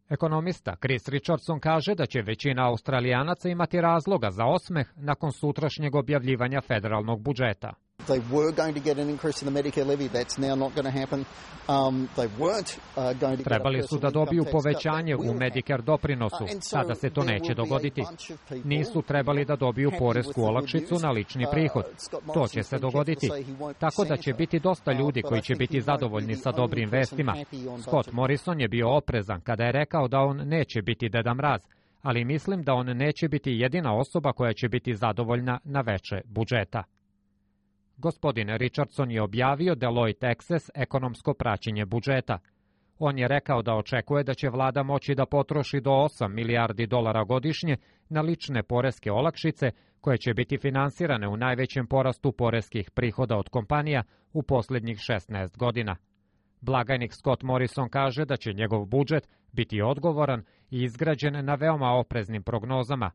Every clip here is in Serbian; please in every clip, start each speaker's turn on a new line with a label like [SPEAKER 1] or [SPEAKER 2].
[SPEAKER 1] Ekonomista Chris Richardson kaže da će većina Australijanaca imati razloga za osmeh nakon sutrašnjeg objavljivanja federalnog budžeta.
[SPEAKER 2] They were going to get an increase in the Medicare levy. That's now not going to happen. They weren't going to.
[SPEAKER 1] Trebali su da dobiju povećanje u Medicare doprinosu. Sada se to neće dogoditi. Nisu trebali da dobiju poresku olakšicu na lični prihod. To će se dogoditi. Tako da će biti dosta ljudi koji će biti zadovoljni sa dobrim vestima. Scott Morrison je bio oprezan kada je rekao da on neće biti Deda Mraz, ali mislim da on neće biti jedina osoba koja će biti zadovoljna na veče budžeta. Gospodin Richardson je objavio Deloitte Access ekonomsko praćenje budžeta. On je rekao da očekuje da će vlada moći da potroši do 8 milijardi dolara godišnje na lične poreske olakšice koje će biti finansirane u najvećem porastu poreskih prihoda od kompanija u posljednjih 16 godina. Blagajnik Scott Morrison kaže da će njegov budžet biti odgovoran i izgrađen na veoma opreznim prognozama.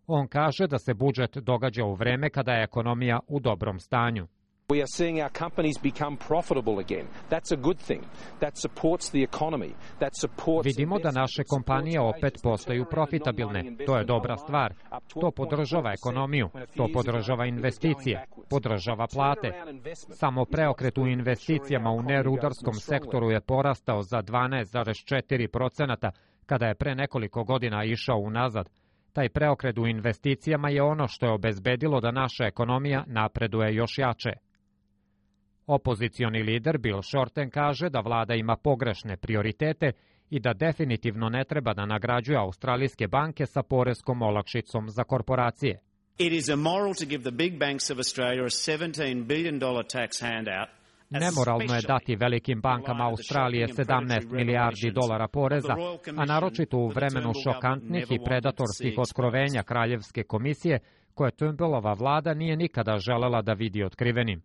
[SPEAKER 1] On kaže da se budžet događa u vreme kada je ekonomija u dobrom stanju.
[SPEAKER 3] We are seeing our companies become profitable again. That's a good thing. That supports the economy. That supports.
[SPEAKER 1] Vidimo da naše kompanije opet postaju profitabilne. To je dobra stvar. To podržava ekonomiju. To podržava investicije. Podržava plate. Samo preokret u investicijama u nerudarskom sektoru je porastao za 12,4% kada je pre nekoliko godina išao unazad. Taj preokret u investicijama je ono što je obezbedilo da naša ekonomija napreduje još jače. Opozicioni lider Bill Shorten kaže da vlada ima pogrešne prioritete i da definitivno ne treba da nagrađuje australijske banke sa poreskom olakšicom za korporacije.
[SPEAKER 4] It is immoral to give the big banks of Australia a $17 billion tax handout.
[SPEAKER 1] Nemoralno je dati velikim bankama Australije 17 milijardi dolara poreza, a naročito u vremenu šokantnih i predatorskih otkrovenja Kraljevske komisije, koje Turnbullova vlada nije nikada želela da vidi otkrivenim.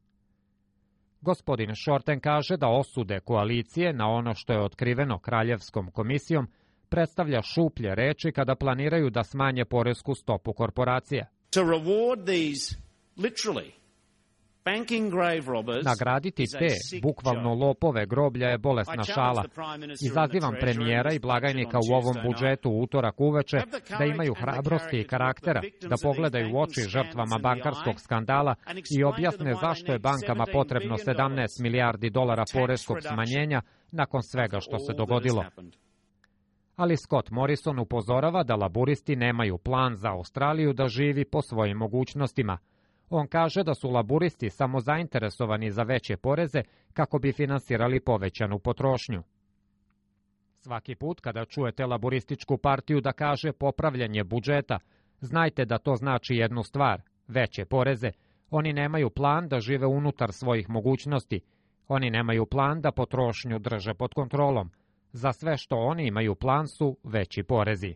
[SPEAKER 1] Gospodin Shorten kaže da osude koalicije na ono što je otkriveno Kraljevskom komisijom predstavlja šuplje reči kada planiraju da smanje poresku stopu korporacija.
[SPEAKER 4] To reward these literally
[SPEAKER 1] nagraditi te, bukvalno lopove groblja je bolesna šala. Izazivam premijera i blagajnika u ovom budžetu u utorak uveče da imaju hrabrosti i karaktera, da pogledaju u oči žrtvama bankarskog skandala i objasne zašto je bankama potrebno 17 milijardi dolara poreskog smanjenja nakon svega što se dogodilo. Ali Scott Morrison upozorava da laburisti nemaju plan za Australiju da živi po svojim mogućnostima. On kaže da su laburisti samo zainteresovani za veće poreze kako bi finansirali povećanu potrošnju. Svaki put kada čujete laburističku partiju da kaže popravljanje budžeta, znajte da to znači jednu stvar, veće poreze. Oni nemaju plan da žive unutar svojih mogućnosti. Oni nemaju plan da potrošnju drže pod kontrolom. Za sve što oni imaju plan su veći porezi.